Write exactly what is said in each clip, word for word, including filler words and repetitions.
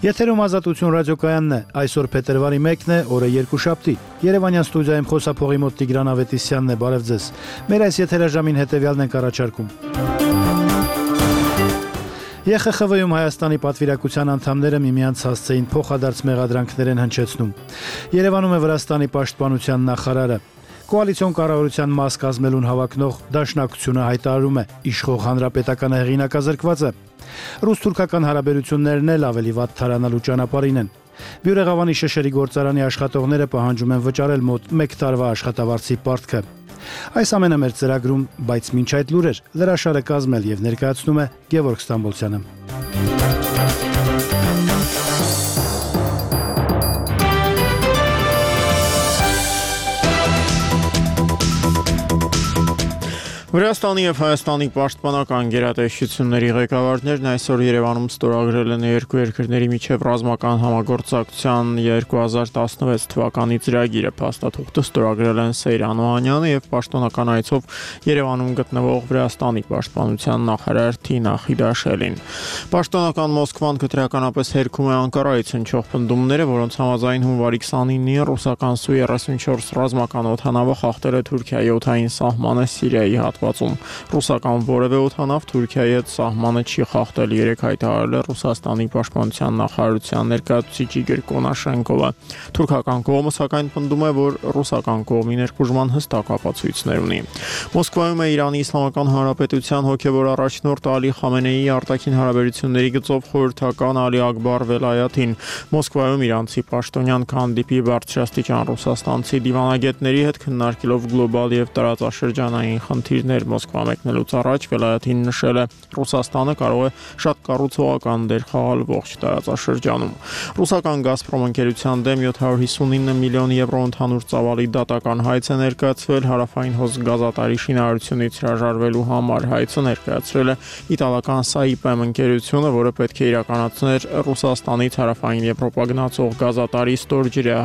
Եթերում Ազատություն ռադիոկայանն է, այսօր փետրվարի մեկն է, օրը երկուշաբթի։ Երևանյան ստուդիայում խոսափողի մոտ Տիգրան Ավետիսյանն է, բարև ձեզ։ Մեր այս եթերաժամին հետևյալն ենք առաջարկում։ Է Խ Խ V-ում Հայաստանի պատվիրակության անդամները միմյանց հասցեին փոխադարձ մեղադրանքներ են հնչեցնում։ Երևանում է Վրաստանի պաշտպանության նախարարը։ Կոալիցիոն կառավարության մաս կազմելուն հավակնող Դաշնակցությունը հայտարարում է իշխող հանրապետականը հեղինակազրկված է։ Ռուս-թուրքական հարաբերություններն էլ ավելի վատ թարանալու ճանապարհին են։ Բյուրեղավանի շշերի գործարանի աշխատողները պահանջում են վճարել մոտ մեկ տարվա աշխատավարձի պարտքը։ Այս ամենը մեր ծրագրում, բայց մինչ այդ լուրեր, լրաշարը կազմել եւ ներկայացնում է Գևորգ Ստամբոլցյանը։ Վրաստանի և Հայաստանի պաշտպանական գերատեսչությունների ղեկավարներն այսօր Երևանում ստորագրել են երկու երկրների միջև ռազմական համագործակցության երկու հազար տասնվեց թվականի ծրագիրը։ Փաստաթուղթը ստորագրել են Սեյրան Օհանյանը և պաշտոնական այցով Երևանում գտնվող Վրաստանի պաշտպանության նախարար Թինա Խիդաշելին։ Պաշտոնական Մոսկվան քրեականապես հերքում է Անկարայից հնչող պնդումները, որոնց համաձայն հունվարի քսանինին ռուսական Սու երեսունչորս ռազմական օդանավը խախտել է Թուրքիայի օդային սահմանը Սիրիայի հատվածում։ Ռուսական որևէ օդանավ Թուրքիայի հետ սահմանը չի խախտել, երեկ հայտարարել է Ռուսաստանի պաշտպանության նախարարության ներկայացուցիչ Իգոր Կոնաշենկովը։ Թուրքական կողմը սակայն պնդում է, որ ռուսական կողմի ներխուժման հստակ ապացույցներ ունի։ Մոսկվայում է Իրանի Իսլամական Հանրապետության հոգևոր առաջնորդ Ալի Խամենեիի արտաքին հարաբերությունների գծով խորհրդական Ալի Ակբար Վելայաթին։ Մոսկվայում իրանցի պաշտոնյան կհանդիպի բարձրաստիճան ռուսաստանցի դիվանագետների հետ քննարկելով գլոբալ և տարածաշրջանային խնդիրներ։ Մոսկվա մեկնելուց առաջ Վելայաթին նշել է, Ռուսաստանը կարող է շատ կառուցողական դեր խաղալ ողջ տարածաշրջանում։ Ռուսական Գազպրոմ ընկերության դեմ յոթ հարյուր հիսունինը միլիոն եվրո ընդհանուր ծավալի դատական հայց է ներկայացվել հարավային հոս գազատարի շինարարությունից հրաժարվելու համար։ Հայցը ներկայացրել է իտալական Saipem ընկերությունը, որը պետք է իրականացներ Ռուսաստանից հարավային Եվրոպա գնացող գազատարի ստորջրյա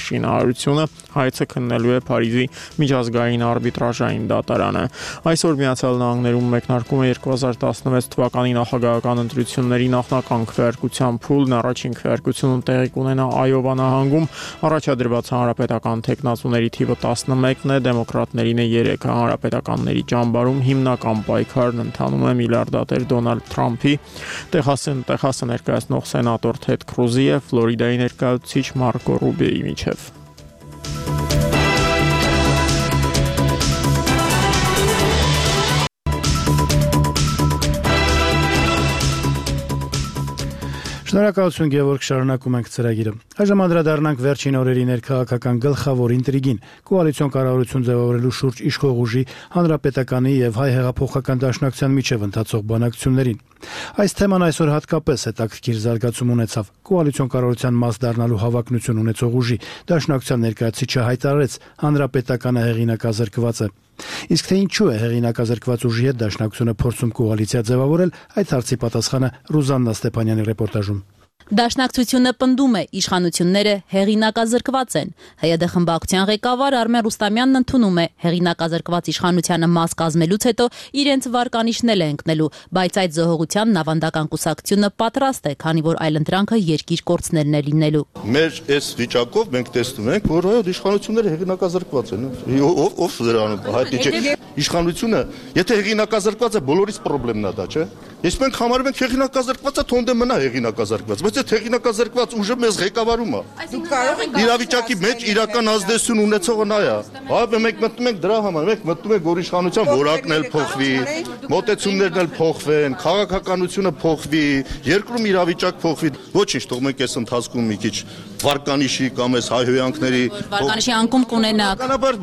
շինարարությունը։ Հայցը քննելու է Փարիզի միջազգային արբիտրաժային դատարանը։ Այսօր Միացյալ Նահանգներում մեկնարկում է երկու հազար տասնվեց թվականի նախագահական ընտրությունների նախնական քվեարկության փուլն, առաջին քվեարկությունը տեղի կունենա Այովա նահանգում, առաջադրված հանրապետական թեկնածուների թիվը տասնմեկն է, դեմոկրատներին է երեքը, հանրապետականների ճամբարում հիմնական պայքարն ընթանում է միլիարդատեր Դոնալդ Թրամփի, Տեխասը ներկայացնող սենատոր Թեդ Քրուզի և Ֆլորիդայի ներկայացուցիչ Մարկո Ռուբիոյի միջև։ Շնորհակալություն Գևորգ, շարունակում ենք ծրագիրը։ Այժմ անդրադառնանք վերջին օրերի ներքաղաքական գլխավոր ինտրիգին՝ կոալիցիոն կառավարություն ձևավորելու շուրջ իշխող ուժի, Հանրապետականի և Հայ հեղափոխական դաշնակցության միջև ընթացող բանակցություններին։ Այս թեման այսօր հատկապես հետաքրքիր զարգացում ունեցավ։ Կոալիցիոն կառավարության մաս դառնալու հավակնություն ունեցող ուժի դաշնակցության ներկայացուցիչը հայտարարեց, Հանրապետականը հեղինակազրկված է։ Իսկ թե ինչու է հեղինակազրկված ուժի հետ դաշնակցությունը փորձում կոալիցիա ձևավորել, այդ հարցի պատասխանը Ռուզաննա Ստեփանյանի ռեպորտաժում։ Դաշնակցությունը պնդում է, իշխանությունները հեղինակազրկված են։ Հ Յ Դ խմբակցության ղեկավար Արմեն Ռուստամյանն ընդունում է, հեղինակազրկված իշխանությանը մաս կազմելուց հետո իրենց վարկանիշն է ընկնելու, բայց այդ զոհողությանն ավանդական կուսակցությունը պատրաստ է, քանի որ այլընտրանքը երկիր կորցնելն է լինելու։ Մեր այս վիճակով մենք տեսնում ենք, որ այո, իշխանությունները հեղինակազրկված են։ Ով ով դրանում հայտնի չէ։ Իշխանությունը, եթե հեղինակազրկված է, բոլորից խնդիրն է դա, չէ՞։ Ես մենք համարում ենք հեղինակազրկվածը թոնդը մնա հեղինակազրկված, բայց այդ հեղինակազրկված ուժը մեզ ղեկավարում է։ Դուք կարող եք իրավիճակի մեջ իրական ազդեցություն ունեցողը նա է։ Հա, մենք մտնում ենք դրա համար, մենք մտնում ենք, որ իշխանության որակն էլ փոխվի, մոտեցումներն էլ փոխվեն, քաղաքականությունը փոխվի, երկրում իրավիճակ փոխվի։ Ոչինչ, թող մենք այս ընթացքում մի քիչ վարկանիշի կամ այս հայհոյանքների վարկանիշի անկում կունենաք։ Բնականաբար,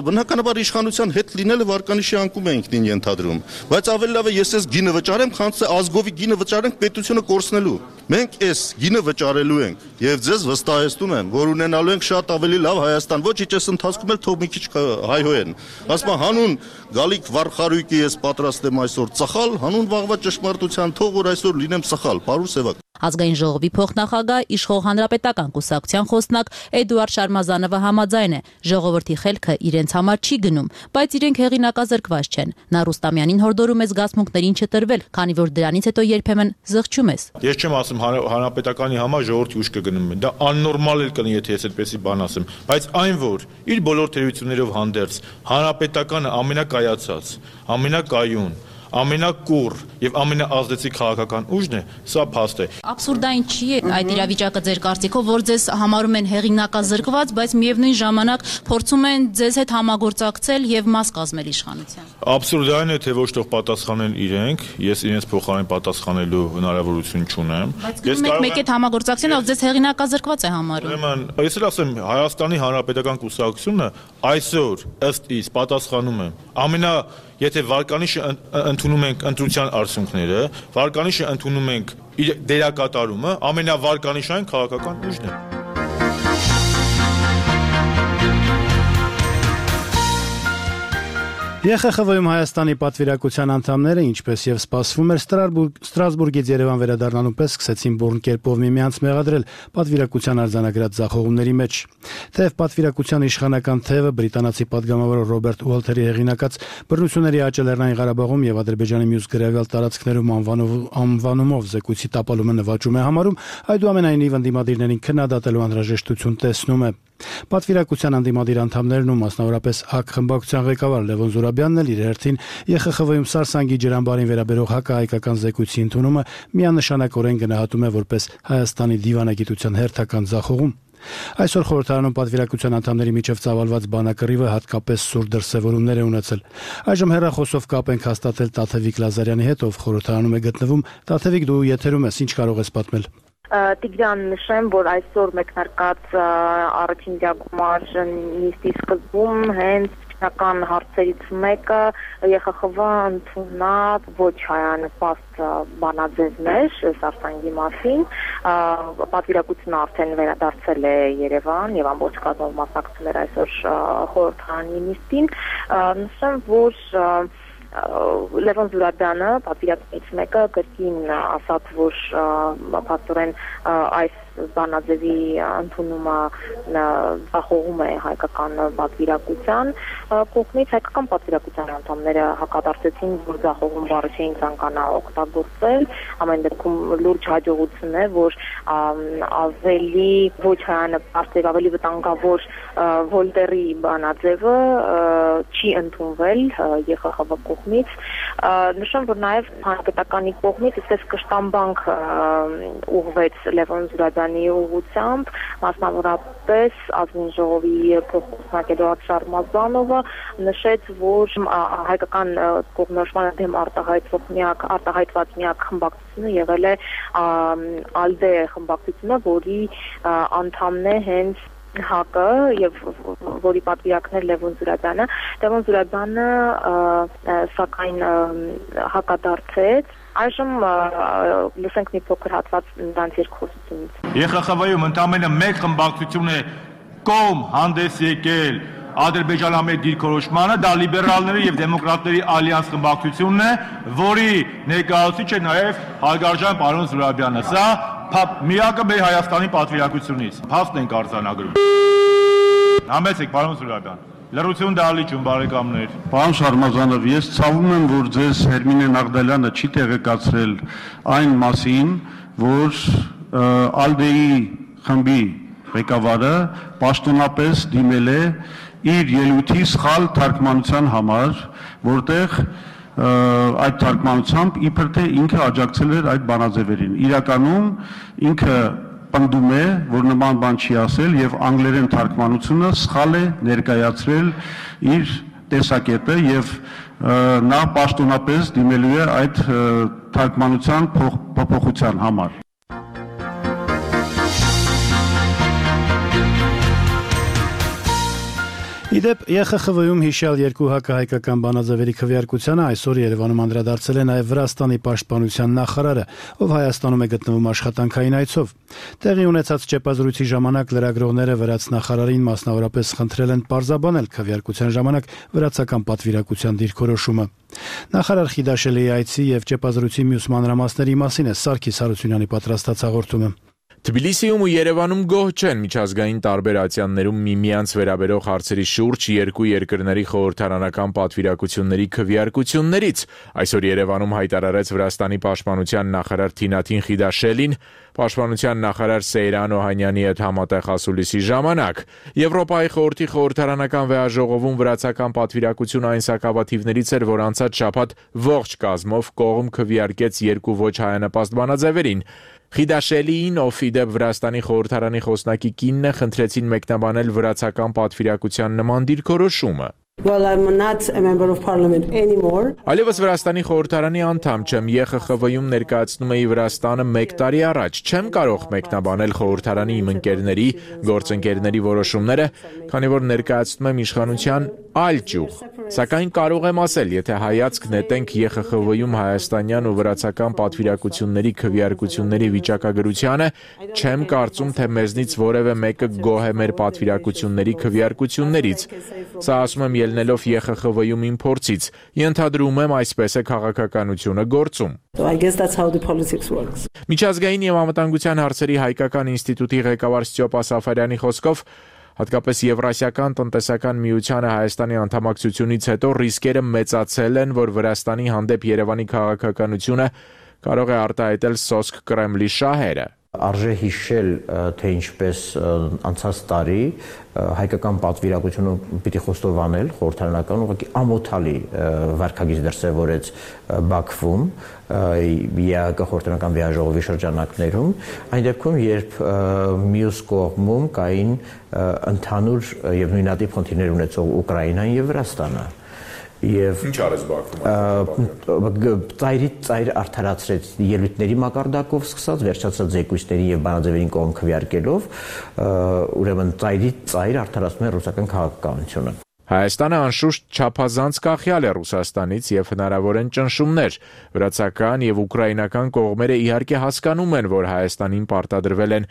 բնականաբար իշխանության հետ լինելը վարկանիշի անկում է ինքնին ենթադրում, բայց ավելի լավ է ես այս գինը վճարեմ, քան թե ազգովի գինը վճարենք պետությունը կորցնելու։ Մենք այս գինը վճարելու ենք եւ ձեզ վստահեցնում եմ, որ ունենալու ենք շատ ավելի լավ Հայաստան, ոչ իճես ընթացքում էլ թող մի քիչ հայհոյեն։ Ասում եմ հանուն գալիք վարխարույկի ես պատրաստ եմ այսօր ծխալ, հանուն վաղվա ճշմարտության թող որ այսօր լինեմ սխալ, բարու սևակ։ Ազգային ժողովի փոխնախագահ իշխող հանրապետական կուսակցության խոսնակ Էդուարդ Շարմազանովը համաձայն է, ժողովրդի խելքը իրենց համար չի գնում, բայց իրենք հեղինակազրկված չեն։ Նա Ռուստամյանին հորդորում է զգացմունքներին չտրվել, քանի որ դրանից հետո երբեմն զղջում ես։ Ես չեմ ասում հանրապետականի համար ժողովրդի ուշքը գնում է։ Դա աննորմալ էլ կլինի, եթե ես այդպեսի բան ասեմ, բայց այն որ իր բոլոր թերություններով հանդերձ հանրապետականը ամենակայացած, ամենակայուն, ամենակուռ եւ ամենաազդեցիկ քաղաքական ուժն է, սա փաստ է։ Աբսուրդային չի այդ իրավիճակը ձեր կարծիքով, որ ձեզ համարում են հեղինակազրկված, բայց միևնույն ժամանակ փորձում են ձեզ հետ համագործակցել եւ մաս կազմել իշխանության։ Աբսուրդային է, թե ոչ թող պատասխանեն իրենք, ես իրենց փոխարեն պատասխանելու հնարավորություն չունեմ։ Ես կարող եմ մեկ հետ համագործակցել, ով ձեզ հեղինակազրկված է համարում։ Ուրեմն, ես էլ ասեմ, Հայաստանի Հանրապետական կուսակցությունը այսօր ըստ իս պատասխանում է ամենա Եթե վարկանիշը ընդունում ենք ընտրության արդյունքները, վարկանիշը ընդունում ենք իր դերակատարումը, ամենավարկանիշային քաղաքական ուժն է։ ԵԽԽՎ-ում Հայաստանի պատվիրակության անդամները, ինչպես եւ սպասվում էր, Ստրասբուրգից Երևան վերադառնալու պես սկսեցին բուրն կերպով միմյանց մեղադրել պատվիրակության արձանագրած ձախողումների մեջ։ Թեև պատվիրակության իշխանական թևը բրիտանացի падգամավոր Ռոբերտ Ուոլթերի հեղինակած բռնությունների աճը Լեռնային Ղարաբաղում եւ Ադրբեջանի մյուս գրավյալ տարածքներում անվանումով զեկույցի տապալումը նվաճում է համարում, այդուամենայնիվ ընդդիմադիրներին քննադատելու անհրաժեշտություն տեսնում է։ Պատվիրակության անդիմադիր անդամներն ու մասնավորապես ՀԱԿ խմբակցության ղեկավար Լևոն Զուրաբյանն էլ իր հերթին ԵԽԽՎ-ում Սարսանգի ջրամբարին վերաբերող հակահայկական զեկույցի ընդունումը միանշանակորեն գնահատում է որպես Հայաստանի դիվանագիտության հերթական ձախողում։ Այսօր խորհրդարանում պատվիրակության անդամների միջև ծավալված բանակռիվը հատկապես սուր դրսևորումներ է ունեցել։ Այժմ հեռախոսով կապ ենք հաստատել Տաթևիկ Լազարյանի հետ, ով խորհրդարանում է գտնվում։ Տաթևիկ, դու եթերում ես, ինչ կարող ես պատմել։ Տիգրան, նշեմ, որ այսօր մեկնարկած առաջին դիագումար նիստի սկզբում հենց Ական հարցերից մեկը ԵԽԽՎ ընդունավ ոչ հայանպաստ բանաձևներ Սարսանգի մասին, պատվիրակությունը արդեն վերադարձել է Երևան եւ ամբողջ կազմով մասնակցել էր այսօր խորհրդարանի նիստին, նշեմ, որ Լևոն Զուրաբյանը, պատվիրակությունից մեկը, կրկին ասաց, որ փաստորեն այս բանաձևի ընդունումը ձախողում է հայկական պատվիրակության կողմից, հայկական պատվիրակության անդամները հակադարձեցին, որ ձախողում բառը չէին ցանկանա օգտագործել, ամեն դեպքում լուրջ հաջողություն է, որ ավելի ոչ հայանպաստ եւ ավելի վտանգավոր Վոլտերի բանաձևը չի ընդունվել ԵԽԽՎ կողմից, նշեմ, որ նաեւ հանրապետականի կողմից այսպես կշտամբանք ուղղվեց Լևոն Զուրաբյանի ուղղությամբ, մասնավորապես ազգային ժողովի փոխնախագահ Էդուարդ Շարմազանովը նշեց, որ հայկական կողմնորոշմանը դեմ արտահայտվող միակ արտահայտված միակ խմբակցությունը եղել է ԱԼԴԵ խմբակցությունը, որի անդամն է հենց ՀԱԿ-ը եւ որի պատվիրակներ Լևոն Զուրաբյանը, Լևոն Զուրաբյանը սակայն հակադարձեց։ Այժմ լսենք մի փոքր հատված նրանց երկխոսությունից։ ԵԽԽՎ-ում ընդամենը մեկ խմբակցություն է կողմ հանդես եկել Ադրբեջանամետ դիրքորոշմանը, դա լիբերալների եւ դեմոկրատների ալյանս խմբակցությունն է, որի ներկայացուցիչ է նաեւ հարգարժան պարոն Զուրաբյանը։ Սա միակը մեր Հայաստանի պատվիրակությունից։ Փաստ ենք արձանագրում։ Համեցեք, պարոն Զուրաբյան։ Լրություն դալիճում, բարեկամներ։ Պարոն Շարմազանով, ես ցավում եմ, որ ձեզ Հերմինե Նաղդալյանը չի տեղեկացրել այն մասին, որ ԱԼԴԵ-ի խմբի ղեկավարը պաշտոնապես դիմել է իր ելույթի սխալ թարգմանության համար, որտեղ այդ թարգմանությամբ իբր թե ինքը աջակցել էր այդ բանաձևերին։ Իրականում ինքը պնդում է, որ նման բան չի ասել եւ անգլերեն թարգմանությունը սխալ է ներկայացրել իր տեսակետը եւ նա պաշտոնապես դիմելու է այդ թարգմանության փոփոխության համար։ Իդեպ Ե Խ Խ V-ում հիշյալ երկու հակահայկական բանաձևերի քվեարկությանը այսօր Երևանում անդրադարձել է նաև Վրաստանի պաշտպանության նախարարը, ով Հայաստանում է գտնվում աշխատանքային այցով։ Տեղի ունեցած ճեպազրույցի ժամանակ լրագրողները վրաց նախարարին մասնավորապես խնդրել են պարզաբանել քվեարկության ժամանակ վրացական պատվիրակության դիրքորոշումը։ Նախարար Խիդաշելիի այցի եւ ճեպազրույցի մյուս մանրամասների մասին է Սարգիս Հարությունյանի պատրաստած հաղորդումը։ Թբիլիսիում ու Երևանում գոհ չեն միջազգային տարբեր ատյաններում միմյանց վերաբերող հարցերի շուրջ երկու երկրների խորհրդարանական պատվիրակությունների քվեարկություններից։ Այսօր Երևանում հայտարարեց Վրաստանի պաշտպանության նախարար Թինաթին Խիդաշելին պաշտպանության նախարար Սեյրան Օհանյանի հետ համատեղ ասուլիսի ժամանակ։ Եվրոպայի խորհրդի խորհրդարանական վեաժողովում վրացական պատվիրակությունը այն սակավաթիվներից էր, որ անցած շաբաթ ողջ կազմով կողմ քվեարկեց երկու ոչ հայանպաստ բանաձևերին։ Խիդաշելիին, ով իդեպ Վրաստանի խորհրդարանի խոսնակի կինն է, խնդրեցին մեկնաբանել վրացական պատվիրակության նման դիրքորոշումը։ Well, I'm not a member of parliament anymore. Այլևս Վրաստանի խորհրդարանի անդամ չեմ, Ե Խ Խ V-ում ներկայացնում էի Վրաստանը մեկ տարի առաջ, չեմ կարող մեկնաբանել խորհրդարանի իմ ընկերների, գործընկերների որոշումները, քանի որ ներկայացնում եմ իշխանության այլ ճյուղ։ Սակայն կարող եմ ասել, եթե հայացք նետենք Ե Խ Խ V-ում հայաստանյան ու վրացական պատվիրակությունների քվեարկությունների վիճակագրությանը, չեմ կարծում, թե մեզնից որևէ մեկը գոհ է մեր պատվիրակությունների քվեարկություններից։ Սա ասում եմ ելնելով Ե Խ Խ V-ում իմ փորձից, ենթադրում եմ այսպես է քաղաքականությունը գործում։ So I guess that's how the politics works. Միջազգային եւ անվտանգության հարցերի հայկական ինստիտուտի ղեկավար Ստյոպա Սաֆարյանի խոսքով հատկապես Եվրասիական տնտեսական միությանը Հայաստանի անդամակցությունից հետո ռիսկերը մեծացել են, որ Վրաստանի հանդեպ Երևանի քաղաքականությունը կարող է արտահայտել սոսկ Կրեմլի շահերը։ Արժե հիշել, թե ինչպես անցած տարի հայկական պատվիրակությունը պիտի խոստովանել խորհրդարանական ուղղակի ամոթալի վարքագիծ դրսևորեց Բաքվում Ե Ա Կը խորհրդարանական վեաժողովի շրջանակներում, այն դեպքում, երբ մյուս կողմում կային ընդհանուր եւ նույնատիպ խնդիրներ ունեցող Ուկրաինան եւ Վրաստանը։ Եվ ինչ արեց Բաքվում։ Ծայրի ծայր արդարացրեց ելույթների մակարդակով սկսած, վերջացած զեկույցների եւ բանաձևերին կողմ քվեարկելով, ուրեմն ծայրի ծայր արդարացնում է ռուսական քաղաքականությունը։ Հայաստանը անշուշտ չափազանց կախյալ է Ռուսաստանից եւ հնարավոր են ճնշումներ։ Վրացական եւ ուկրաինական կողմերը իհարկե հասկանում են, որ Հայաստանին պարտադրվել են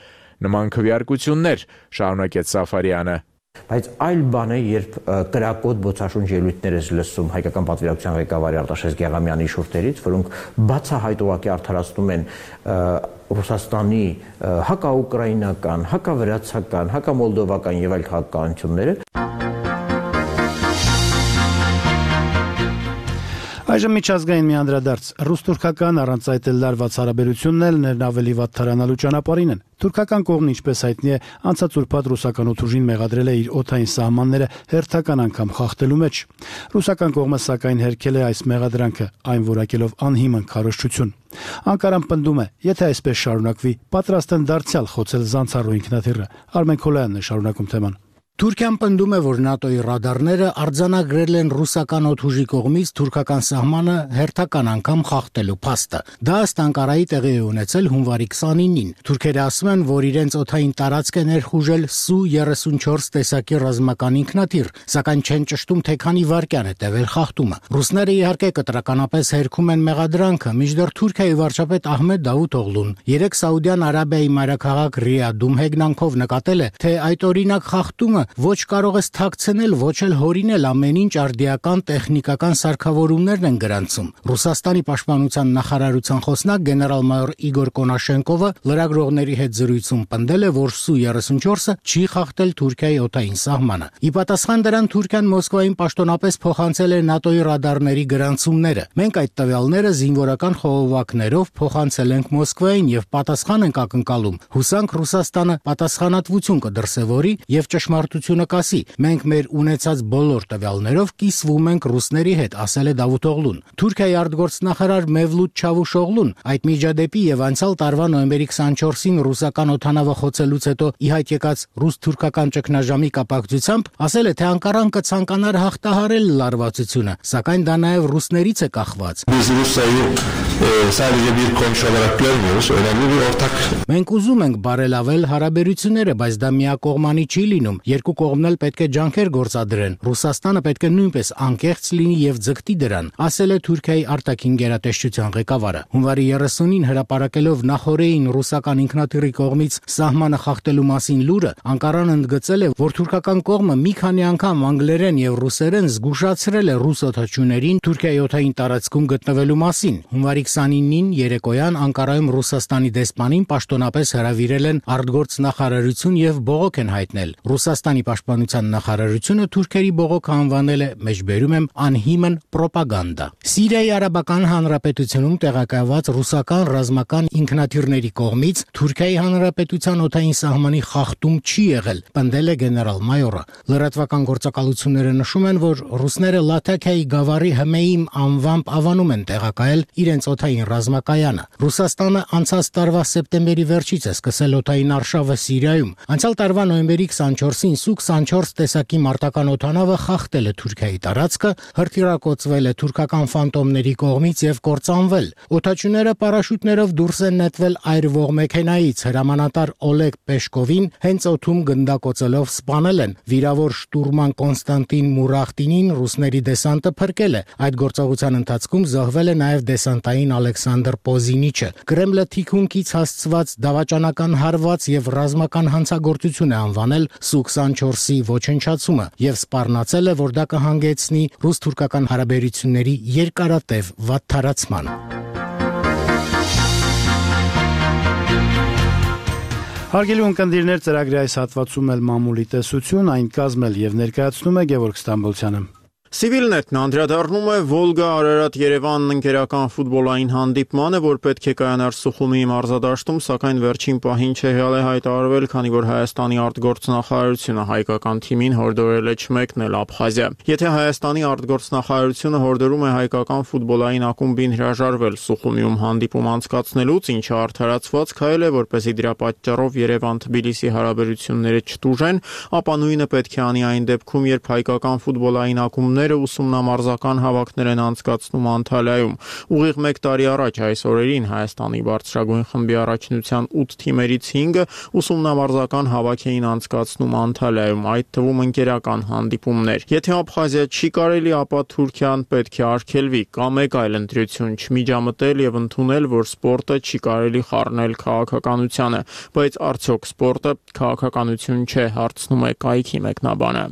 նման քվեարկություններ, շարունակեց Սաֆարյանը։ Բայց այլ բան է, երբ կրակոտ բոցաշունչ ելույթներ ես լսում հայկական պատվիրակության ղեկավարի Արտաշես Գեղամյանի շուրթերից, որոնք բացահայտողակի արդարացնում են Ռուսաստանի հակաուկրաինական, հակավրացական, հակամոլդովական եւ այլ քաղաքականությունները։ Այժմ միջազգային մի անդրադարձ։ Ռուս-թուրքական առանց այդ էլ լարված հարաբերությունն էլ ներն ավելի վատ թարանալու ճանապարհին են։ Թուրքական կողմն, ինչպես հայտնի է, անցած ուրբաթ ռուսական օդուժին մեղադրել է իր օդային սահմանները հերթական անգամ խախտելու մեջ։ Ռուսական կողմը սակայն հերքել է այս մեղադրանքը, այն որակելով անհիմն քարոզչություն։ Անկարան պնդում է, եթե այսպես շարունակվի, պատրաստ են դարձյալ խոցել Զանցառու ինքնաթիռը։ Արմեն Քոլայանն է շարունակում թեման։ Թուրքիան պնդում է, որ ՆԱՏՕ-ի ռադարները արձանագրել են ռուսական օդուժի կողմից թուրքական սահմանը հերթական անգամ խախտելու փաստը։ Դա ըստ Անկարայի տեղի է ունեցել հունվարի քսանինին։ Թուրքերը ասում են, որ իրենց օդային տարածք է ներխուժել Սու երեսունչորս տեսակի ռազմական ինքնաթիռ, սակայն չեն ճշտում, թե քանի վայրկյան է տևել խախտումը։ Ռուսները իհարկե կտրականապես հերքում են մեղադրանքը, մինչդեռ Թուրքիայի վարչապետ Ահմեդ Դավութօղլուն երեք Սաուդյան Արաբիայի մայրաքաղաք Ռիադում հեգնանքով նկատել է, թե այդ օրինակ խախտումը ոչ կարող է թաքցնել, ոչ էլ հորինել ամեն ինչ արդիական տեխնիկական սարքավորումներն են գրանցում։ Ռուսաստանի պաշտպանության նախարարության խոսնակ գեներալ-մայոր Իգոր Կոնաշենկովը լրագրողների հետ զրույցում պնդել է, որ Սու երեսունչորսը չի խախտել Թուրքիայի օդային սահմանը։ Ի պատասխան դրան Թուրքիան Մոսկվային պաշտոնապես փոխանցել է ՆԱՏՕ-ի ռադարների գրանցումները։ Մենք այդ տվյալները զինվորական խողովակներով փոխանցել ենք Մոսկվային եւ պատասխան ենք ակնկալում։ Հուսանք Ռուսաստանը պատասխանատվություն կդրսևորի եւ ճշմարտություն կասի։ Մենք մեր ունեցած բոլոր տվյալներով կիսվում ենք ռուսների հետ, ասել է Դավութօղլուն։ Թուրքիայի արտգործնախարար Մևլութ Չավուշօղլուն այդ միջադեպի եւ անցյալ տարվա նոյեմբերի քսանչորսին ռուսական օդանավը խոցելուց հետո ի հայտ եկած ռուս-թուրքական ճգնաժամի կապակցությամբ ասել է, թե Անկարան կցանկանար հաղթահարել լարվածությունը, սակայն դա նաեւ ռուսներից է կախված։ Մենք ուզում ենք բարելավել հարաբերությունները, բայց դա միակողմանի չի լինում։ երկու կողմն էլ պետք է ջանքեր գործադրեն։ Ռուսաստանը պետք է նույնպես անկեղծ լինի եւ ձգտի դրան, ասել է Թուրքիայի արտաքին գերատեսչության ղեկավարը։ Հունվարի երեսունին հրապարակելով նախորդին ռուսական ինքնաթիռի կողմից սահմանը խախտելու մասին լուրը, Անկարան ընդգծել է, որ թուրքական կողմը մի քանի անգամ անգլերեն եւ ռուսերեն զգուշացրել է ռուս օդաչուներին Թուրքիայի օդային տարածքում գտնվելու մասին։ Հունվարի քսանինին երեկոյան Անկարայում Ռուսաստանի դեսպանին պաշտոնապես հրավիրել են արտգործնախարարություն եւ բողոք են հայտնել։ Ռուսաստանի պաշտպանության նախարարությունը թուրքերի բողոքը անվանել է, մեջբերում եմ, անհիմն պրոպագանդա։ Սիրիայի Արաբական Հանրապետությունում տեղակայված ռուսական ռազմական ինքնաթիռների կողմից Թուրքիայի Հանրապետության օդային սահմանի խախտում չի եղել, պնդել է գեներալ-մայորը։ Լրատվական գործակալությունները նշում են, որ ռուսները Լաթաքիայի գավառի Հմեյիմ անվամբ ավանում են տեղակայել իրենց օդային ռազմակայանը։ Ռուսաստանը անցած տարվա սեպտեմբերի վերջից է սկսել օդային արշավը Սիրիայում։ Անցյալ տարվա նոյեմբերի քսանչորսին Սու քսանչորս տեսակի մարտական օդանավը խախտել է Թուրքիայի տարածքը, հրթիռակոծվել է թուրքական ֆանտոմների կողմից եւ կործանվել։ Օդաչուները պարաշուտներով դուրս են նետվել այրվող մեքենայից, հրամանատար Օլեգ Պեշկովին հենց օդում գնդակոծելով սպանել են։ Վիրավոր շտուրման Կոնստանտին Մուրախտինին ռուսների դեսանտը փրկել է։ Այդ գործողության ընթացքում զոհվել է նաեւ դեսանտային Ալեքսանդր Պոզինիչը։ Կրեմլը թիկունքից հասցված դավաճանական հարված եւ ռազմական հանցագործություն է անվանել Սու քսանչորսի ոչնչացումը եւ սպառնացել է, որ դա կհանգեցնի ռուս-թուրքական հարաբերությունների երկարատև վատթարացման։ Հարգելի ունկնդիրներ, ծրագրի այս հատվածում էլ մամուլի տեսություն, այն կազմել եւ ներկայացնում է Գևորգ Ստամբոլցյանը։ Civilnet-ն անդրադառնում է Վոլգա-Արարատ-Երևան ընկերական ֆուտբոլային հանդիպմանը, որ պետք է կայանար Սուխումի մարզադաշտում, սակայն վերջին պահին չեղյալ է հայտարարվել, քանի որ Հայաստանի արտգործնախարարությունը հայկական թիմին հորդորել է չմեկնել Աբխազիա։ Եթե Հայաստանի արտգործնախարարությունը հորդորում է հայկական ֆուտբոլային ակումբին հրաժարվել Սուխումիում հանդիպում անցկացնելուց, ինչը արդարացված քայլ է, որպեսզի դրա պատճառով Երևան-Թբիլիսի հարաբերությունները չտուժեն, ապա նույնը պետք է անի այն դեպքում, երբ հայկական ֆուտբոլային ակումբները ուսումնամարզական հավաքներ են անցկացնում Անտալիայում։ Ուղիղ մեկ տարի առաջ այս օրերին Հայաստանի բարձրագույն խմբի առաջնության ութ թիմերից հինգը ուսումնամարզական հավաք էին անցկացնում Անտալիայում, այդ թվում ընկերական հանդիպումներ։ Եթե Աբխազիա չի կարելի, ապա Թուրքիան պետք է արգելվի կամ մեկ այլ ընտրություն չմիջամտել եւ ընդունել, որ սպորտը չի կարելի խառնել քաղաքականությանը, բայց արդյոք սպորտը քաղաքականություն չէ, հարցնում է կայքի մեկնաբանը։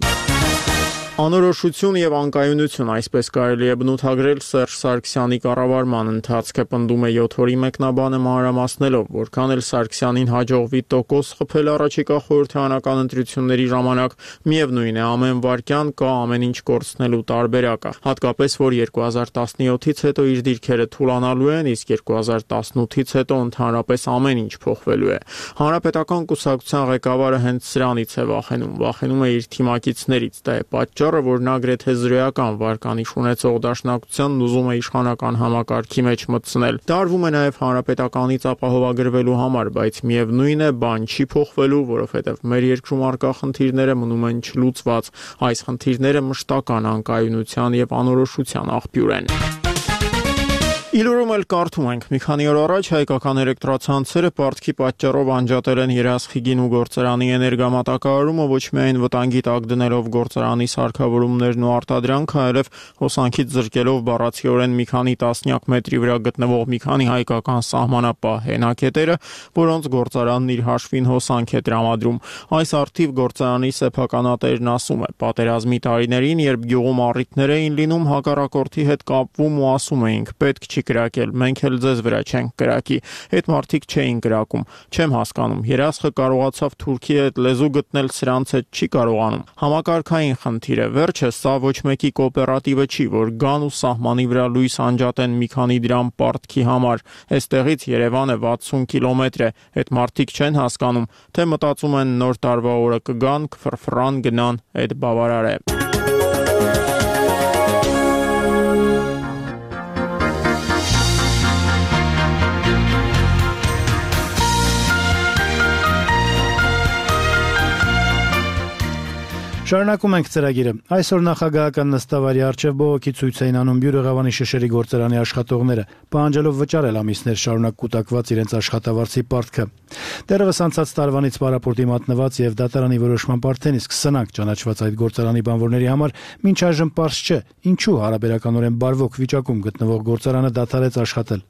Անորոշություն եւ անկայունություն, այսպես կարելի է բնութագրել Սերժ Սարգսյանի կառավարման ընթացքը, պնդում է յոթ օրի մեկնաբանը մանրամասնելով, որքան էլ Սարգսյանին հաջողվի տոկոս խփել առաջիկա խորհրդարանական ընտրությունների ժամանակ, միևնույն է ամեն վարքյան կա ամեն ինչ կորցնելու տարբերակը, հատկապես որ երկու հազար տասնյոթից հետո իր դիրքերը թուլանալու են, իսկ երկու հազար տասնութից հետո ընդհանրապես ամեն ինչ փոխվելու է։ Հանրապետական կուսակցության ղեկավարը հենց սրանից է վախենում, վախենում է իր թիմակիցներից, դա է պատճառը, որ նա գրեթե զրոյական վարկանիշ ունեցող դաշնակցությանն ուզում է իշխանական համակարգի մեջ մտցնել։ Դարվում է նաև հանրապետականից ապահովագրվելու համար, բայց միևնույն է, բան չի փոխվելու, որովհետև մեր երկրում առկա խնդիրները մնում են չլուծված։ Այս խնդիրները մշտական անկայունության եւ անորոշության աղբյուր են։ Իլուրում էլ կարդում ենք, մի քանի օր առաջ հայկական էլեկտրացանցերը պարտքի պատճառով անջատել են Երասխիգին ու գործարանի էներգամատակարարումը, ոչ միայն վտանգի տակ դնելով գործարանի սարքավորումներն ու արտադրանքը, այլև հոսանքից զրկելով բառացիորեն մի քանի տասնյակ մետրի վրա գտնվող մի քանի հայկական սահմանապահ հենակետերը, որոնց գործարանն իր հաշվին հոսանք է տրամադրում։ Այս արդիվ գործարանի սեփականատերն ասում է, պատերազմի տարիներին, երբ գյուղում առիթներ էին լինում, հակառակորդի հետ կապվում ու ասում էինք, պետք չի կրակել, մենք էլ ձեզ վրա չենք կրակի, այդ մարդիկ չէին կրակում, չեմ հասկանում, Երասխը կարողացավ Թուրքի հետ լեզու գտնել, սրանց հետ չի կարողանում, համակարգային խնդիր է, վերջը սա ոչ մեկի կոոպերատիվը չի, որ գան ու սահմանի վրա լույս անջատեն մի քանի դրամ պարտքի համար, այստեղից Երևանը վաթսուն կիլոմետր է, այդ մարդիկ չեն հասկանում, թե մտածում են նոր տարվա օրը կգան, կֆրֆրան գնան, այդ բավարար է։ Շարունակում ենք ծրագիրը։ Այսօր նախագահական նստավարի առջև բողոքի ցույց էին անում Բյուրեղավանի շշերի գործարանի աշխատողները, պահանջելով վճարել ամիսներ շարունակ կուտակված իրենց աշխատավարձի պարտքը։ Դեռևս անցած տարվանից պարապորտի մատնված եւ դատարանի որոշման արդեն իսկ սնանկ ճանաչված այդ գործարանի բանվորների համար մինչ այժմ պարզ չէ, ինչու հարաբերականորեն բարվոք վիճակում գտնվող գործարանը դադարեց աշխատել։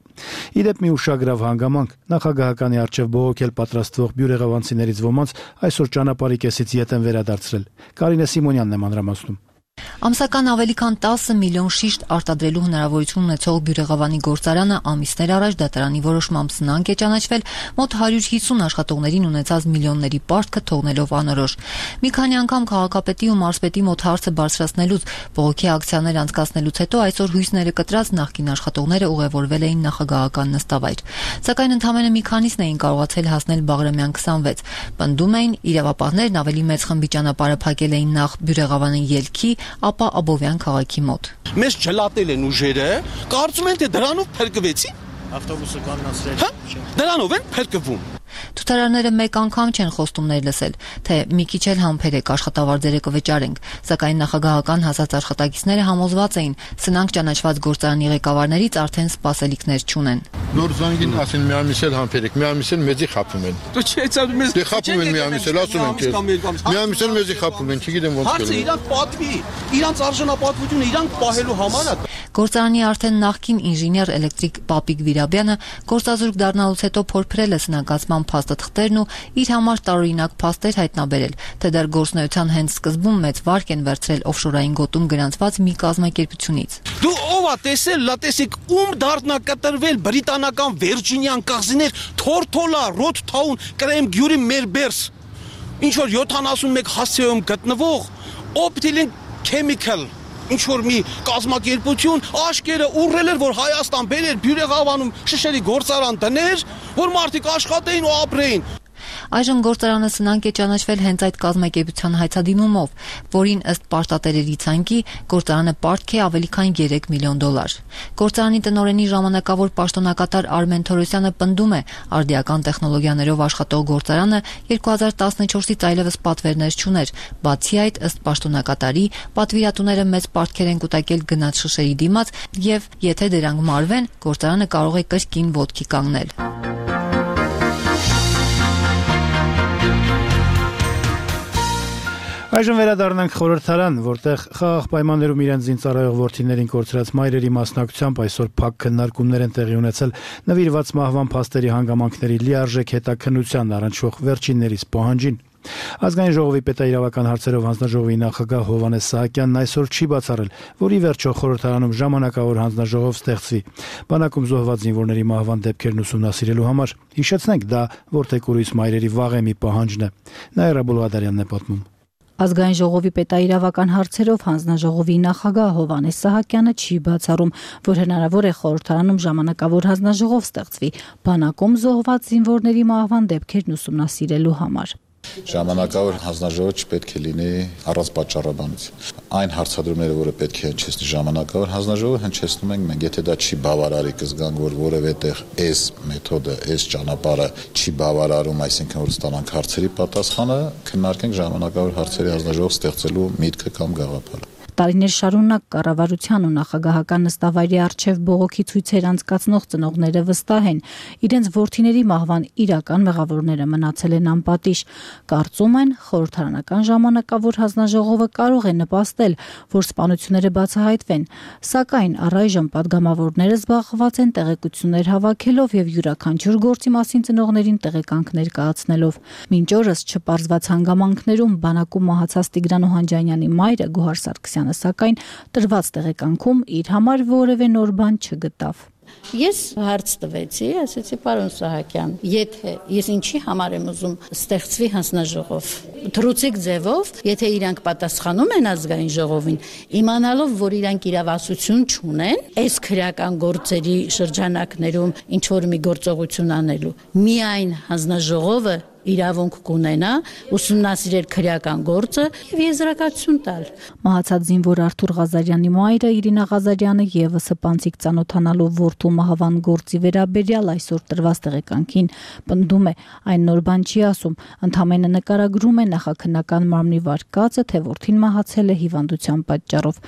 Իդեպ մի ուշագրավ հանգամանք նախագահականի առջև բողոքել պատրաստվող բյուրեղավանցիներից ոմանց այսօր ճանապարհի կեսից ետ են վերադարձրել։ Կարինե Սիմոնյանն է մանրամասնում։ Ամսական ավելի քան տասը միլիոն շիշտ արտադրելու հնարավորություն ունեցող Բյուրեղավանի գործարանը ամիսներ առաջ դատարանի որոշմամբ սնանկ է ճանաչվել մոտ հարյուր հիսուն աշխատողներին ունեցած միլիոնների պարտքը թողնելով անորոշ։ Մի քանի անգամ քաղաքապետի ու մարզպետի մոտ հարցը բարձրացնելուց բողոքի ակցիաներ անցկացնելուց հետո այսօր հույսները կտրած նախկին աշխատողները ուղևորվել էին նախագահական նստավայր։ Սակայն ընդամենը մի քանիսն էին կարողացել հասնել Բաղրամյան քսանվեց։ Պնդում էին, իրավապահներն ավելի մեծ խմբի ճանապարհը փակել էին նախ Բյուրեղավանի ելքի, ապա Աբովյան քաղաքի մոտ։ Մեզ չլատել են ուժերը, կարծում են թե դրանով փրկվեցի։ Ավտոբուսը կանացրել։ Դրանով են փրկվում։ Թութարարները մեկ անգամ չեն խոստումներ լսել, թե մի քիչ էլ համբերեք աշխատավարձերը կվճարենք, սակայն նախագահական հասած աշխատակիցները համոզված էին, սնանկ ճանաչված գործարանի ղեկավարներից արդեն սպասելիքներ չունեն։ Նոր զանգին ասին մի ամիս էլ համբերեք, մի ամիս էլ մեզի խափում են։ Դու չէ՞ մեզ։ Դե խափում են մի ամիս էլ, ասում են քեզ։ Մի ամիս էլ մեզի խափում են, չգիտեմ ոնց կերել։ Հարցը իրանք պատվի, իրանք արժանապատվությունը իրանք պահելու համար է։ Գործարանի արդեն նախկին ինժեներ էլեկտրիկ Պապիկ Վիրաբյանը գործազուրկ դառնալուց հետո փորփրել է սնանկացման փաստաթղթերն ու իր համար տարօրինակ փաստեր հայտնաբերել, թե դեռ գործնեության հենց սկզբում մեծ վարկ են վերցրել օֆշորային գոտում գրանցված մի կազմակերպությունից։ Դու ով ա տեսել, լա տեսեք, ում դառնա կտրվել բրիտանական Վիրջինիան կղզիներ, Թորթոլա, Ռոթթաուն, Կրեմ Գյուրի Մերբերս, ինչ որ յոթանասունմեկ հասցեում գտնվող Optilink Chemical ինչ որ մի կազմակերպություն աշկերը ուռել էր, որ Հայաստան բերեր Բյուրեղավանում շշերի գործարան դներ, որ մարդիկ աշխատեին ու ապրեին։ Այժմ գործարանը սնանկ է ճանաչվել հենց այդ կազմակերպության հայցադիմումով, որին ըստ պարտատերերի ցանկի գործարանը պարտք է ավելի քան երեք միլիոն դոլար։ Գործարանի տնօրենի ժամանակավոր պաշտոնակատար Արմեն Թորոսյանը պնդում է, արդիական տեխնոլոգիաներով աշխատող գործարանը երկու հազար տասնչորսից այլևս պատվերներ չուներ։ Բացի այդ, ըստ պաշտոնակատարի, պատվիրատուները մեծ պարտքեր են կուտակել գնաց շշերի դիմաց եւ եթե դրանք մարվեն, գործարանը կարող է կրկին ոտքի կանգնել։ Այժմ վերադառնանք խորհրդարան, որտեղ խաղաղ պայմաններում իրենց զինծառայող որդիներին կորցրած մայրերի մասնակցությամբ այսօր փակ քննարկումներ են տեղի ունեցել նվիրված մահվան փաստերի հանգամանքների լիարժեք հետաքննության առնչվող վերջիններիս պահանջին։ Ազգային ժողովի պետաիրավական հարցերով հանձնաժողովի նախագահ Հովհաննես Սահակյանն այսօր չի բացառել, որ ի վերջո խորհրդարանում ժամանակավոր հանձնաժողով ստեղծվի բանակում զոհված զինվորների մահվան դեպքերն ուսումնասիրելու համար։ Հիշեցնենք, դա որդեկուրիս մայրերի վաղեմի պահանջն է։ Նաիրա Բոլուադարյանն է պատմում։ Ազգային ժողովի պետաիրավական հարցերով հանձնաժողովի նախագահ Հովհաննես Սահակյանը չի բացառում, որ հնարավոր է խորհրդարանում ժամանակավոր հանձնաժողով ստեղծվի բանակում զոհված զինվորների մահվան դեպքերն ուսումնասիրելու համար։ Ժամանակավոր հանձնաժողովը չպետք է լինի առանց պատճառաբանության։ Այն հարցադրումները, որը պետք է հնչեցնի ժամանակավոր հանձնաժողովը, հնչեցնում ենք մենք, եթե դա չի բավարարի, կզգանք, որ որևէ տեղ այս մեթոդը, այս ճանապարհը չի բավարարում, այսինքն որ ստանանք հարցերի պատասխանը, քննարկենք ժամանակավոր հարցերի հանձնաժողով ստեղծելու միտքը կամ գաղափարը։ Տարիներ շարունակ կառավարության ու նախագահական նստավայրի առջև բողոքի ցույցեր անցկացնող ծնողները վստահ են, իրենց որդիների մահվան իրական մեղավորները մնացել են անպատիժ։ Կարծում են, խորհրդարանական ժամանակավոր հանձնաժողովը կարող է նպաստել, որ սպանությունները բացահայտվեն, սակայն առայժմ պատգամավորները զբաղված են տեղեկություններ հավաքելով եւ յուրաքանչյուր գործի մասին ծնողներին տեղեկանք ներկայացնելով։ Մինչ օրս չպարզված հանգամանքներում բանակում մահացած Տիգրան Օհանջանյանի մայրը Գոհար Սարգսյանը սակայն տրված տեղեկանքում իր համար որևէ նոր բան չգտավ։ Ես հարց տվեցի, ասեցի պարոն Սահակյան, եթե ես ինչի համար եմ ուզում ստեղծվի հանձնաժողով, թռուցիկ ձևով, եթե իրանք պատասխանում են ազգային ժողովին, իմանալով, որ իրանք իրավասություն չունեն, այս քրեական գործերի շրջանակներում ինչ որ մի գործողություն անելու, միայն հանձնաժողովը իրավունք կունենա ուսումնասիրել քրեական գործը եւ եզրակացություն տալ։ Մահացած զինվոր Արթուր Ղազարյանի մայրը Իրինա Ղազարյանը եւս սպանցիկ ծանոթանալով որդու մահվան գործի վերաբերյալ այսօր տրված տեղեկանքին պնդում է, այն նոր բան չի ասում, ընդհանրապես նկարագրում է նախաքննական մարմնի վարկածը, թե որդին մահացել է հիվանդության պատճառով։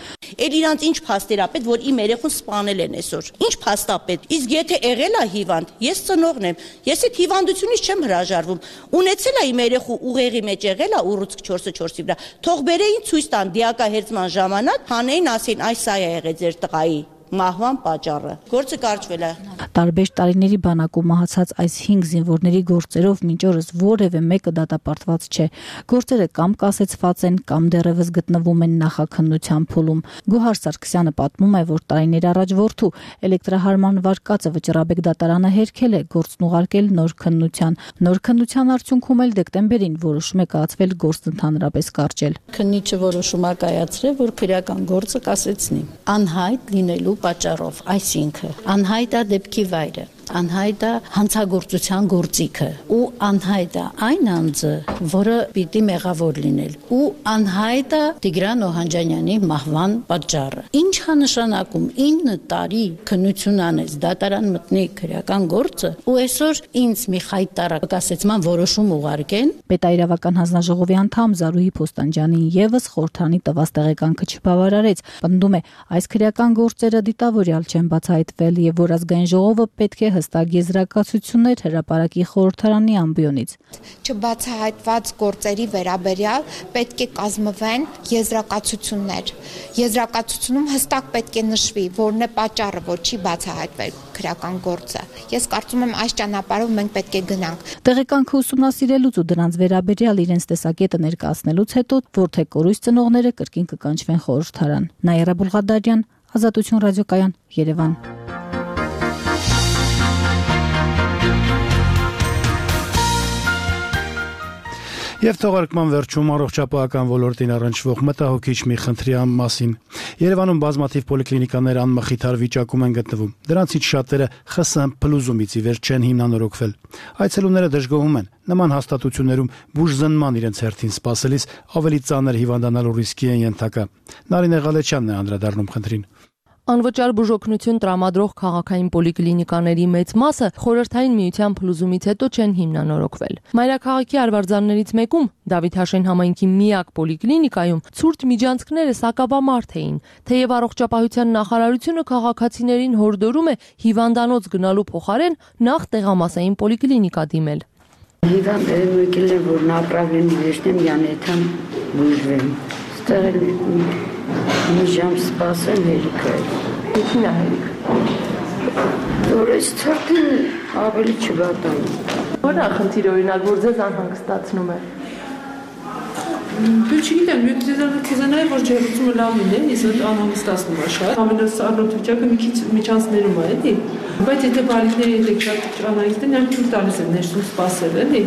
Էլ իրանց ինչ փաստեր ա պետք, որ իմ երեխուն սպանել են այսօր։ Ինչ փաստ ա պետք։ Իսկ եթե եղել է հիվանդ, ես ծնողն եմ, ես այդ հիվանդությունից չեմ հրաժարվում։ Ունեցել է իմ երեխու ուղեղի մեջ եղել է ուռուցք չորսը չորսի վրա։ Թող բերեին ցույց տան դիակահերձման ժամանակ, հանեին ասեն, այս սա է եղել ձեր տղայի մահվան պատճառը։ Գործը կարճվել է։ Տարբեր տարիների բանակում մահացած այս հինգ զինվորների գործերով մինչ օրս որևէ մեկը դատապարտված չէ։ Գործերը կամ կասեցված են, կամ դեռևս գտնվում են նախաքննության փուլում։ Գոհար Սարգսյանը պատմում է, որ տարիներ առաջ որդու էլեկտրահարման վարկածը Վճռաբեկ դատարանը հերքել է, գործն ուղարկել նոր քննության։ Նոր քննության արդյունքում էլ դեկտեմբերին որոշում է կայացվել գործն ընդհանրապես կարճել։ Քննիչը որոշում է կայացրել, որ քրեական գործը կասեցնի։ Անհայտ լինելու պատճառով, այսինքն անհայտ է դեպքի վայրը, անհայտ է հանցագործության գործիքը ու անհայտ է այն անձը, որը պիտի մեղավոր լինել ու անհայտ է Տիգրան Օհանջանյանի մահվան պատճառը։ Ինչ է նշանակում ինը տարի քննություն անեց, դատարան մտնի քրեական գործը ու այսօր ինձ մի խայտարակ կասեցման որոշում ուղարկեն։ Պետաիրավական հանձնաժողովի անդամ Զարուհի Փոստանջյանին եւս խորհրդանի տված տեղեկանքը չբավարարեց։ Պնդում է, այս քրեական գործերը դիտավորյալ չեն բացահայտվել եւ որ ազգային ժողովը պետք է հստակ եզրակացություններ հրապարակի խորհրդարանի ամբիոնից։ Չբացահայտված գործերի վերաբերյալ պետք է կազմվեն եզրակացություններ։ Եզրակացությունում հստակ պետք է նշվի, որն է պատճառը, որ չի բացահայտվել քրեական գործը։ Ես կարծում եմ այս ճանապարհով մենք պետք է գնանք։ Տեղեկանքը ուսումնասիրելուց ու դրանց վերաբերյալ իրենց տեսակետը ներկայացնելուց հետո որթե կորույս ծնողները կրկին կկանչվեն խորհրդարան։ Նաիրա Բուլղադարյան, Ազատություն ռադիոկայան, Երևան։ Եվ թողարկման վերջում առողջապահական ոլորտին առնչվող մտահոգիչ մի խնդրի մասին։ Երևանում բազմաթիվ պոլիկլինիկաներ անմխիթար վիճակում են գտնվում։ Դրանցից շատերը ԽՍՀՄ փլուզումից ի վեր չեն հիմնանորոգվել։ Այցելուները դժգոհում են։ Նման հաստատություններում բուժզնման իրենց հերթին սպասելիս ավելի ծանր հիվանդանալու ռիսկի են ենթակա։ Նարինե Ղալեչյանն է անդրադառնում խնդրին։ Անվճար բուժօգնություն տրամադրող քաղաքային պոլիկլինիկաների մեծ մասը խորհրդային միության փլուզումից հետո չեն հիմնանորոգվել։ Մայրաքաղաքի արվարձաններից մեկում Դավիթ Հաշեն համայնքի միակ պոլիկլինիկայում ցուրտ միջանցքները սակավամարդ էին, թեև առողջապահության նախարարությունը քաղաքացիներին հորդորում է հիվանդանոց գնալու փոխարեն նախ տեղամասային պոլիկլինիկա դիմել։ Հիվանդները եկել են, որ направлен վերջնեմ յանեթան բուժվեն։ Ստեղ մի ժամ սպասեմ հերիքը։ Ինչին է հերիքը։ Որ այս թրտին ավելի չգատանում։ Որն է խնդիրը օրինակ, որ ձեզ անհանգստացնում է։ Դու չգիտեմ, մի քիզանայի որ ջերմությունը լավ լինի, իսկ անհանգստացնում է շատ։ Ամենասարոտ վիճակը մի քիչ միջանցներում է, էլի։ Բայց եթե բալիկների հետ շատ անհանգստեն, նրանք ցույց տալիս են ներսում սպասել, էլի։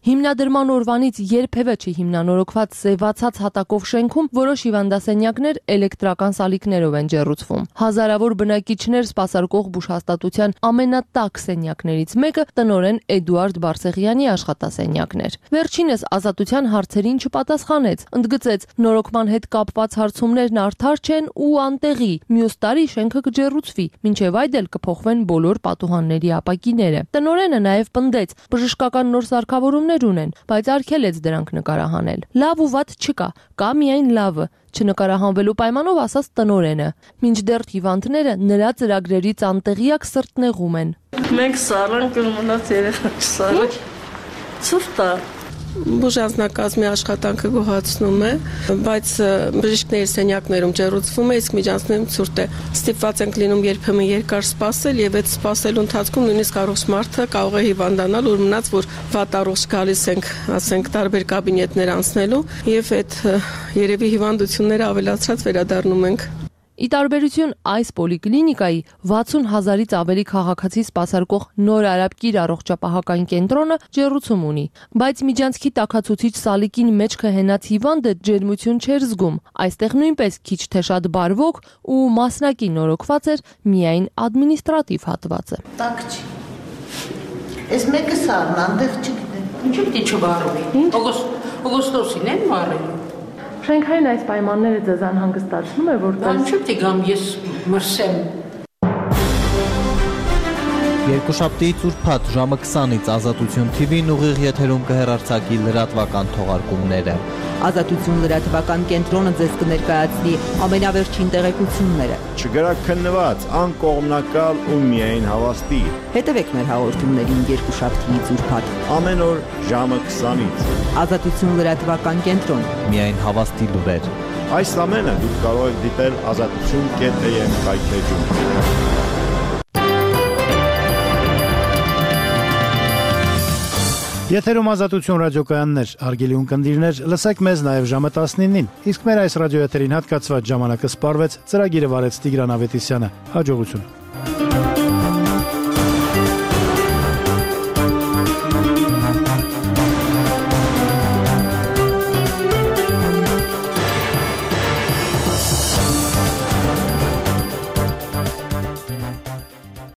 Հիմնադրման օրվանից երբևէ չի հիմնանորոգված սևացած հատակով շենքում որոշ հիվանդասենյակներ էլեկտրական սալիկներով են ջեռուցվում։ Հազարավոր բնակիչներ սպասարկող բուժհաստատության ամենատակ սենյակներից մեկը տնօրեն Էդուարդ Բարսեղյանի աշխատասենյակն էր։ Վերջինս Ազատության հարցերին չպատասխանեց, ընդգծեց նորոգման հետ կապված հարցումներն արդար չեն ու անտեղի։ Մյուս տարի շենքը կջեռուցվի, մինչև այդ էլ կփոխվեն բոլոր պատուհանների ապակիները։ Տնօրենը նաև պնդեց, բժշկական նոր սարքավորումներ ունեն, բայց արգելեց դրանք նկարահանել։ Լավ ու վատ չկա, կա միայն լավը, չնկարահանվելու պայմանով ասաց տնօրենը։ Մինչդեռ հիվանդները նրա ծրագրերից անտեղյակ սրտնեղում են։ Մենք սառանք մնաց երեխա չսառանք։ Ցուրտ է։ Բուժանձնակազմի աշխատանքը գոհացնում է, բայց բժիշկների սենյակներում ջեռուցվում է, իսկ միջանցքներում ցուրտ է։ Ստիպված ենք լինում երբեմն երկար սպասել եւ այդ սպասելու ընթացքում նույնիսկ առողջ մարդը կարող է հիվանդանալ, որ մնաց որ վատ առողջ գալիս ենք, ասենք տարբեր կաբինետներ անցնելու եւ այդ երևի հիվանդությունները ավելացած վերադառնում ենք։ Ի տարբերություն այս պոլիկլինիկայի վաթսուն հազարից ավելի քաղաքացի սպասարկող Նոր Արաբկիր առողջապահական կենտրոնը ջեռուցում ունի, բայց միջանցքի տաքացուցիչ սալիկին մեջքը հենած հիվանդը ջերմություն չէր զգում։ Այստեղ նույնպես քիչ թե շատ բարվոք ու մասնակի նորոգված էր միայն ադմինիստրատիվ հատվածը։ Տակ չի։ Այս մեկը սառն, այնտեղ չգիտեմ։ Ինչու՞ պիտի չվարվի։ Օգոստոսին են վարել։ Շենքային այս պայմանները ձեզ անհանգստացնում է, որտեղ Ինչու՞ պիտի գամ ես մրսեմ։ Երկուշաբթիից ուրբաթ ժամը քսանից Ազատություն Թի Վին ուղիղ եթերում կհեռարձակի լրատվական թողարկումները։ Ազատություն լրատվական կենտրոնը ձեզ կներկայացնի ամենավերջին տեղեկությունները։ Չգրաքննված, անկողմնակալ ու միայն հավաստի։ Հետևեք մեր հաղորդումներին երկուշաբթիից ուրբաթ ամեն օր ժամը քսանից։ Ազատություն լրատվական կենտրոն, միայն հավաստի լուրեր։ Այս ամենը դուք կարող եք դիտել ազատություն կետ է եմ կայքեջում։ Եթերում Ազատություն ռադիոկայաններ, հարգելի ունկնդիրներ, լսեք մեզ նաև ժամը տասնինին, իսկ մեր այս ռադիոեթերին հատկացված ժամանակը սպառվեց, ծրագիրը վարեց Տիգրան Ավետիսյանը, հաջողություն։